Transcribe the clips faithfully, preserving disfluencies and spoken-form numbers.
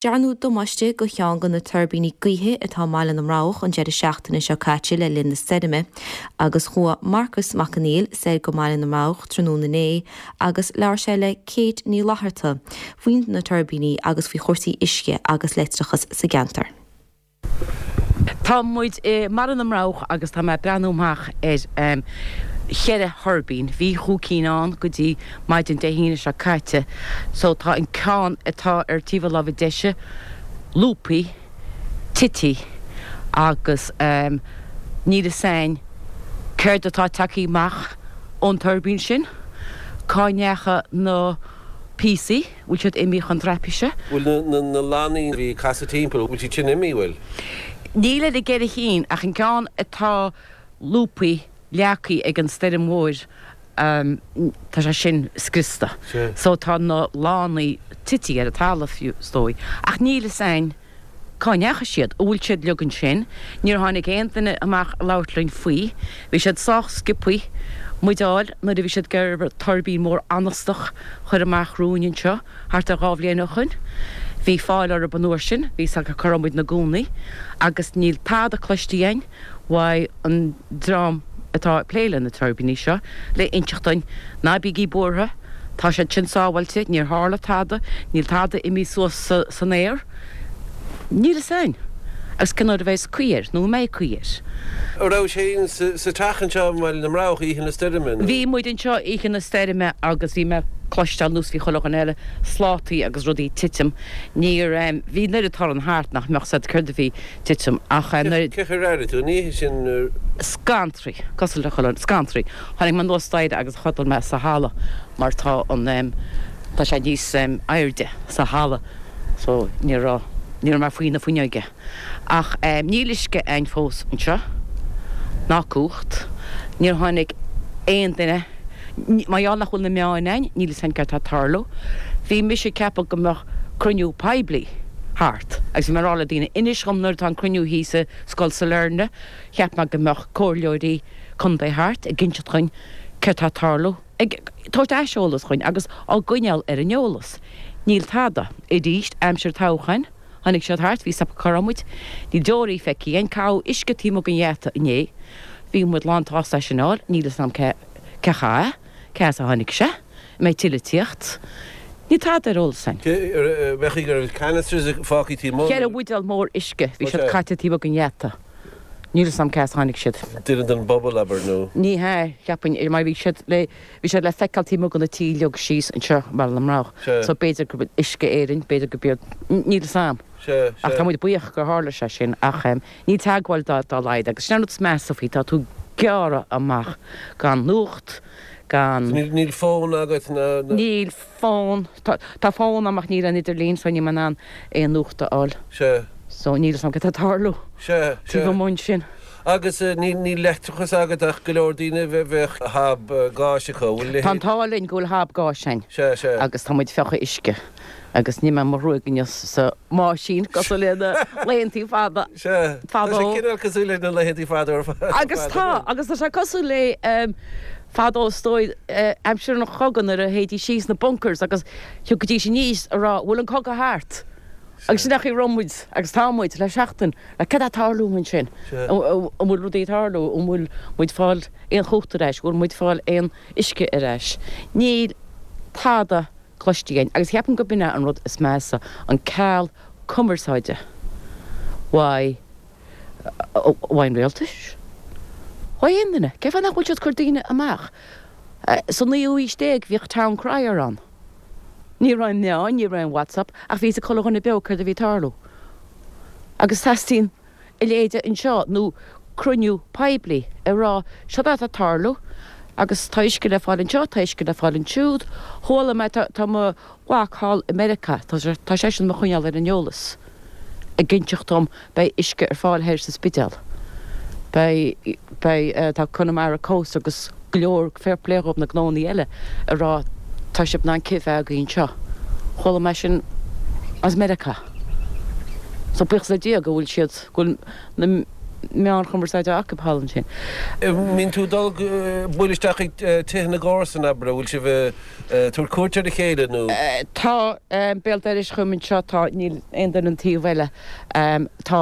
Dearnadh damáiste do cheann de na tuirbíní gaoithe atá i mBaile na mBroghach an deireadh seachtaine seo caite le linn na stoirme, agus chuaigh Marcas Mac Conghail soir go mBaile na mBroghach tráthnóna inné agus labhair sé le Kate Ní Fhlatharta faoi na tuirbíní agus faoi chúrsaí uisce agus leictreachas sa gceantar. Tá muid i mBaile na mBroghach agus tá mé ag breathnú amach ar cheithre thuirbín. Bhí chúig cinn ann go dtí maidin Dé hAoine seo caite. So tá an ceann atá ar taobh a láimhe deise lúbtha, tite agus níl fhios a'inn céard atá tagtha amach ón tuirbín sin, cá ndeachaigh na píosaí, bhfuil siad imithe chun traipise. Bhfuil na na lannaí a bhí ag casadh timpeall, bhfuil siad sin imithe, bhfuil? Níl ar an gceithre chinn ach an ceann atá lúbtha, leagtha ag an stoirm mhór, tá sé sin scriosta. So tá na lánaí tite ar an talamh, is dóigh. Ach níl fhios a'inn cá ndeachaigh siad, an bhfuil siad uilig ansin? Níor tháinig aon duine amach a labhairt linn faoi. Bhí siad sách sciobthaí muid a fháil nuair a bhí siad ag iarraidh tuirbín mór anastach a chur amach romhainn anseo thart ar dhá bhliain ó shoin. Bhí fáil orthu an uair sin, bhí 'fhios acu cá raibh muid 'na gcónaí agus níl tada cloiste againn uaidh an dream atá ag plé le na tuirbíní seo le inseacht dúinn, ná bígí buartha, tá siad sin sábháilte, níor tharla tada, níl tada imithe suas san aer, níl fhios a'inn agus cén uair a bheas caoi air, nó an mbeidh caoi air. An raibh sibh féin sa teach anseo i mBaile na mBroghach oíche na stoirme, nó? Bhí muid anseo oíche na stoirme agus bhí mé ag cloisteáil, ar nós bhí chuile dhuine eile, slátaí agus rudaí ag titim. Níor, bhí an oiread torann thart nach mbeadh 'fhios a'd céard a bhí titim ach nuair. Cén chaoi ar airigh tú an oíche sin? Scanraithe, cosúil le chuile dhuine, scanraithe. Tháinig mé anuas staighre agus chodail mé sa halla mar tá an, tá sé níos airde sa halla so ní raibh, ní raibh mé faoi na fuinneoige. Ach níl uisce a'inn fós anseo, ná cumhacht. Níor tháinig aon duine, mar gheall nach bhfuil na meáin a'inn, níl fhios a'inn céard tá ag tarlú. Bhí mise ag ceapadh go mbeadh cruinniú poiblí thart agus bhí mé ag rá le daoine, inis dhom nuair atá an cruinniú thíos i Scoil Sailearna, cheap mé go mbeadh comhairleoirí contae thart ag inseacht dhuinn céard tá ag tarlú, ag tabhairt aiseolas dhuinn agus á gcoinneáil ar an eolas. Níl tada. Arís, aimsir toghcháin, tháinig siad thart, bhí 'fhios acu cá raibh muid, níl deoraí feicthe againn, caitheadh uisce taobh amuigh den gheata inné, bhí muid lán tsásta é sin a fháil, níl fhios a'm cé cé chaith é, cé as a tháinig sé. An mbeidh tuilleadh ag tíocht. Níl tada ar eolas againn. Bheadh go raibh canisters fágtha taobh amuigh. Ceithre bhuidéal mór uisce, bhí siad caite taobh amuigh den gheata. Níl fhios a'm cé as a tháinig siad. Duine den bpobal, abair, nó? Ní hea, cheapfainn, mar bhí siad le, bhí siad le feiceáil taobh amuigh de na tithe uilig síos anseo i mBaile na mBroghach. So b'fhéidir gurb iad Uisce Éireann, b'fhéidir gurb iad, níl fhios a'm. Ach tá muid buíoch gur tharla sé sin ach níl teagmháil dá laghad agus sin an rud is measa faoi, tá tú gearrtha amach gan nuacht, gan. Níl fón agat ná. Níl fón. Tá fón agam ach níl aon idirlíon so níl mé in ann aon nuacht a fháil. Sea. So níl fhios agam cad tá ag tarlú. Sea, sea. Taobh amuigh ansin. Agus níl leictreachas agat ach go leor daoine bheadh hob gáis acu, bhfuil leithéid. Tá an t-ádh linn go bhfuil hob gáis againn. Sea, sea. Agus tá muid ag fiuchadh uisce agus nigh mé mo ghruaig inniu sa mbáisín cosúil le na laethantaí fada. Sea. Tá sé cineál cosúil le na laethantaí fada ar fad. Agus tá, agus tá sé cosúil le fadó is dóigh, aimsir an chogaidh nuair a théidís síos sna bunkers agus thiocfaidís aníos a rá bhfuil an cogadh thart? Agus sin é an chaoi a raibh muid agus tá muid le seachtain, like cad tá ag tarlú ansin? An bhfuil rudaí ag tarlú? An bhfuil muid fáil aon chumhacht ar ais? An bhfuil muid fáil aon uisce ar ais? Níl tada cloiste againn agus cheapaim go b'in é an rud is measa, an ceal cumarsáide uaidh uaidh an rialtais, uaidh aon duine. Cén fáth nach bhfuil siad ag cur daoine amach? Sa naoú haois déag bhíodh town crier ann. Ní raibh aon meáin, ní raibh aon WhatsApp ach bhí fhios ag chuile dhuine beo céard a bhí ag tarlú. Agus teastaíonn a leithéide anseo nó cruinniú poiblí ag rá seo atá ag tarlú agus tá uisce le fáil anseo, tá uisce le fáil ansiúd. Chuala mé, tá mo mhac thall i Meiriceá, tá seisean mo choinneáil ar an eolas, ag inseacht dom beidh uisce ar fáil thoir sa Spidéal, beidh, beidh, tá Connemara Coast agus go leor, fair play dhóibh na gnónnaí eile ag rá tá sibh in ann cith a bheith agaibh anseo. Chuala mé sin as Meiriceá. So buíochas le Dia go bhfuil siad, go bhfuil na meáin chumarsáide acu thall ansin. Mbíonn tú ag dul bualadh isteach ag tithe na gcomharsan, abair, an bhfuil sibh ag tabhairt cuairt ar a chéile nó? Tá, béal dorais chugam anseo, tá, níl aon duine an taobh eile. Tá,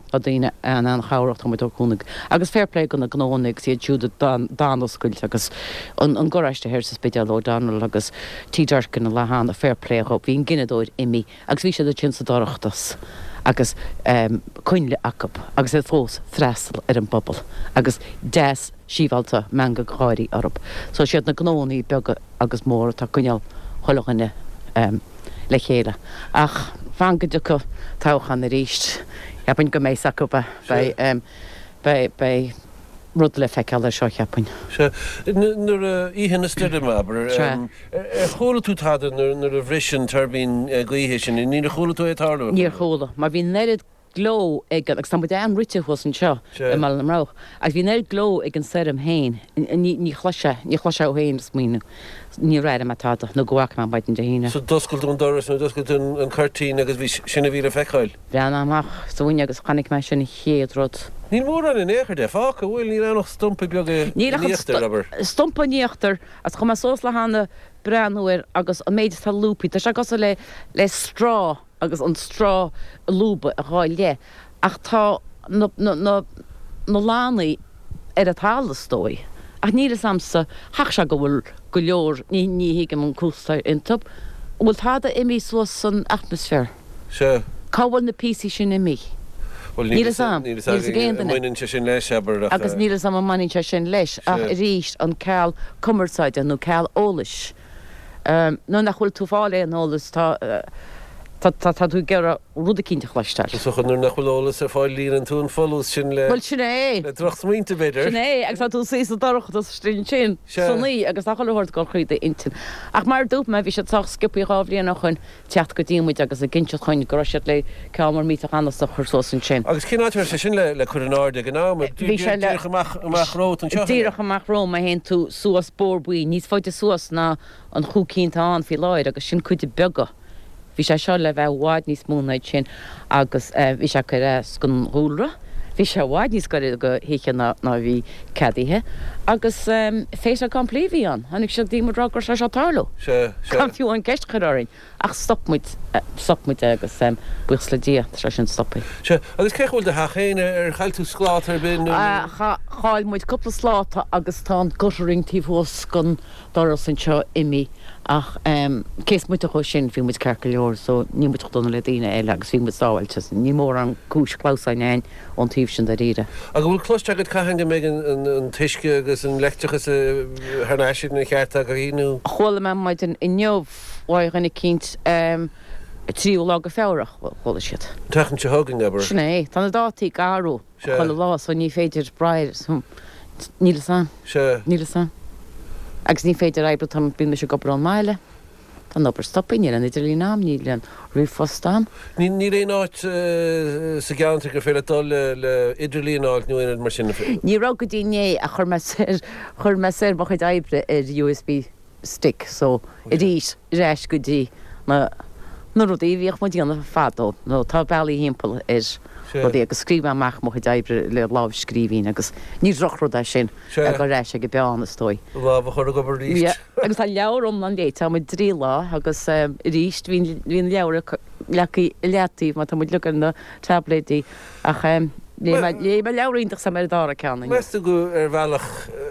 tá daoine an-chabhrach, tá muid ag cúnamh agus fair play do na gnóanna agus iad siúd a d'fhan oscailte agus an garáiste thoir sa Spidéal, O'Donnell agus Tí Durkin an lá cheana, fair play dhóibh, bhí an gineadóir imithe agus bhí siad ansin sa dorchadas. agus coinnle acu agus iad fós freastal ar an bpobal agus deas síbhealta meangadh gáirí orthu. So siad na gnóannaí beaga agus móra atá ag coinneáil chuile dhuine le chéile. Ach fan go dtiocfaidh toghchán arís, cheapfainn go mbeidh acu, beidh, beidh, beidh rud le feiceáil ar seo, cheapfainn. Sea. Nuair a, oíche na stoirme, abair, ar chuala tú tada nuair a bhris an tuirbín gaoithe sin? Níor chuala tú é ag tarlú? Níor chuala, mar bhí an oiread gleo ag an, agus tá muid an-rite thuas anseo i mBaile na mBroghach, agus bhí an oiread gleo ag an stoirm féin, ní, ní chloisfeá, ní chloisfeá thú féin ag smaoineamh, níor airigh mé tada nó go bhfaca mé maidin Dé hAoine. So d'oscail tú an doras nó d'oscail tú an cuirtín agus bhí, sin a bhí le feiceáil? Bhreathnaigh amach sa bhfuinneog agus chonaic mé sin an chéad rud. Níl mórán in aon chor de fágtha, bhfuil? Níl ann ach stumpa beag in Níl ach an íochtar, abair. stumpa in íochtar agus chuaigh mé suas le hAnna breathnú air agus an méid atá lúbtha, tá sé cosúil le le straw agus an straw a lúbadh i dhá leith ach tá na na na na lánaí ar an talamh is dóigh. Ach níl fhios a'msa, chaithfeadh sé go bhfuil go leor, ní ní thuigim an cúrsa iontu, an bhfuil tada imithe suas san atmaisféar? Sea. Cá bhfuil na píosaí sin imithe? Bhuel, Níl níl fhios a'm. níl fhios Níl fhios ag againn aon an duine. mbaineann sé sin leis, abair, ach. Agus níl fhios a'm an mbaineann sé sin leis, ach Sea. arís, an ceal cumarsáide nó ceal eolais. Nuair nach bhfuil tú ag fáil aon eolas, tá tá tá tá tú ag iarraidh rud eicínt a chloisteáil. Is dócha nuair nach bhfuil eolas ar fáil líonann tú an folús sin le Bhuel, sin é. le drochsmaointe, b'fhéidir. Sin é, agus tá tú ag suí sa dorchadas istigh ansin, Sea. san oíche, agus tá chuile shórt ag dul thríd d'intinn. Ach mar a dúirt mé, bhí siad sách sciobthaí dhá bhliain ó shoin teacht go dtí muid agus ag inseacht chugainn go raibh siad le ceann mór millteach anasach a chur suas ansin. Agus cén áit a raibh sé sin le le cur in airde ag an am? Bhí sé le. Díreach amach amach romhat anseo, an ea? Díreach amach romham, má théann tú suas Bóthar Buí, níos faide suas ná an chúig cinn atá ann faoi láthair agus sin cuid beaga. Bhí sé seo le bheith i bhfad níos mó ná sin agus bhí sé ag cur as don dhúlra. Bhí sé i bhfad níos gaire do thithe ná a bhí ceadaithe agus fait accompli a bhí ann. Tháinig siad go dtí muid ag rá go raibh sé seo ag tarlú. Sea, sea. Gan fiú an ceist a chur orainn. Ach stop muid, stop muid é agus buíochas le Dia tá sé sin stoptha. Sea, agus cén chaoi a bhfuil do theach féin? Ar chaill tú scláta ar bith nó? Chaill muid cúpla sláta agus tá an guttering taobh thuas den doras anseo imithe ach cé is moite dhó sin bhí muid ceart go leor so níl muid chomh dona le daoine eile agus bhí muid sábháilte so ní mórán cúis clamhsáin againn ón taobh sin dáiríre. Agus an bhfuil cloiste agat cathain go mbeidh an t-uisce agus an leictreachas thar n-ais ina cheart agaibh nó? Chuala mé maidin inniu uaidh dhuine eicínt tríú lá go Feabhra, chuala siad. An tseachtain seo chugainn, abair. Sin é. Tá na dátaí ag athrú Sea. chuile lá so ní féidir brath air. Níl fhios a'm. Sea. Níl fhios a'm. Agus ní féidir oibriú, tá, bíonn mise ag obair ón mbaile. Tá an obair stoptha, níl an idirlíon a'm, níl an ríomhphost a'm. Níl, níl aon áit sa gceantar gur féidir leat dul le, le idirlíon a fháilt nó aon rud mar sin? Ní raibh go dtí inné ach chuir mé soir, chuir mé soir mo chuid oibre ar USB stick so arís ar ais go dtí na, na rudaí a bhíodh muid a dhéanamh fadó nó tá bealaí thimpeall ar rudaí agus scríobh mé amach mo chuid oibre le lámhscríbhinn agus ní drochrud é sin a dhul ar ais ag an bpeann is dóigh. Lámh a chur ag obair arís. Yeah agus tá leabhar iomlán léite agam i dtrí lá agus arís bhí bhí an leabhar leagtha i leataobh mar tá muid uilig ar na táibléidí ach léigh mé léigh mé leabhar iontach is tá mé ar an dara ceann inniu. Meas tú go ar bhealach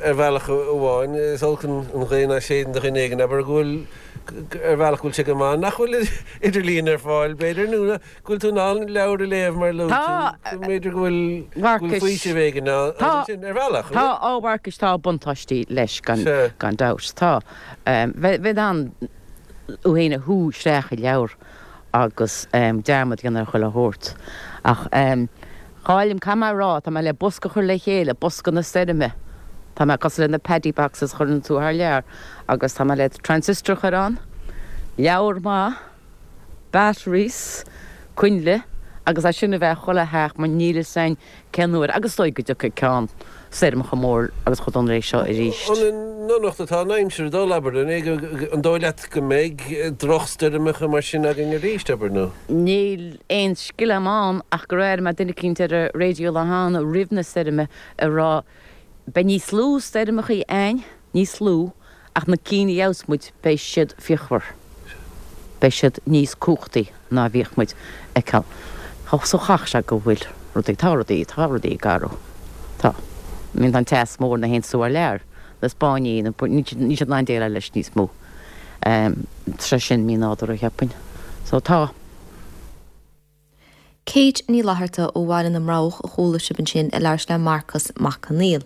ar bhealach amháin is olc an ghaoth ná séideann do dhuine éigin abair go bhfuil ar bhealach go bhfuil sé go maith nach bhfuil idirlíon ar fáil, b'fhéidir, nó go bhfuil tú in ann leabhar a léamh mar a luaigh Tá, tú, go mb'fhéidir go bhfuil go bhfuil Mharcais. faoiseamh éigin ann Tá, ansin, ar bhealach, an tá, bhfuil? a Mharcais, tá buntáistí leis gan, Sea. gan dabht. Tá. Bheith in ann thú féin a shú isteach i leabhar agus dearmad a dhéanamh ar chuile shórt. Ach cáilim, caithfidh mé a rá, tá mé le bosca a chur le chéile, bosca na stoirme. Tá mé cosúil le na paddy boxes a chuireann tú thar lear agus tá mé le transistor a chur ann, leabhar maith, batteries, coinnle agus é sin a bheith chuile theach mar níl fhios a'inn cén uair agus is dóigh go dtiocfaidh ceann stoirm chomh mór agus chomh dona leis seo arís. An ndonacht atá an aimsir ag dul, abair, an é an dóigh leat go mbeidh drochstoirmeacha mar sin againn arís, abair, nó? Níl aon scil agam ann ach gur airigh mé duine eicínt ar an raidió lá cheana roimh na stoirme ag rá beidh níos lú stoirmeachaí a'ainn, níos lú, ach na cinn a gheobhas muid beidh siad fíochmhar, beidh siad níos cumhachtaí ná a bhíodh muid a fheiceáil. So chaithfeadh sé go bhfuil rudaí, tá rudaí, tá rudaí ag athrú. Tá. I mean tá an teas mór ina théann tú thar lear, na Spáinnigh, na, níl siad, níl siad in ann déileáil leis níos mó. Tá sé sin mí-nádúrtha cheapfainn. So tá. Kate Ní Fhlatharta ó Bhaile na mBroghach a chuala sibh ansin ag labhairt le Marcas Mac Conghail.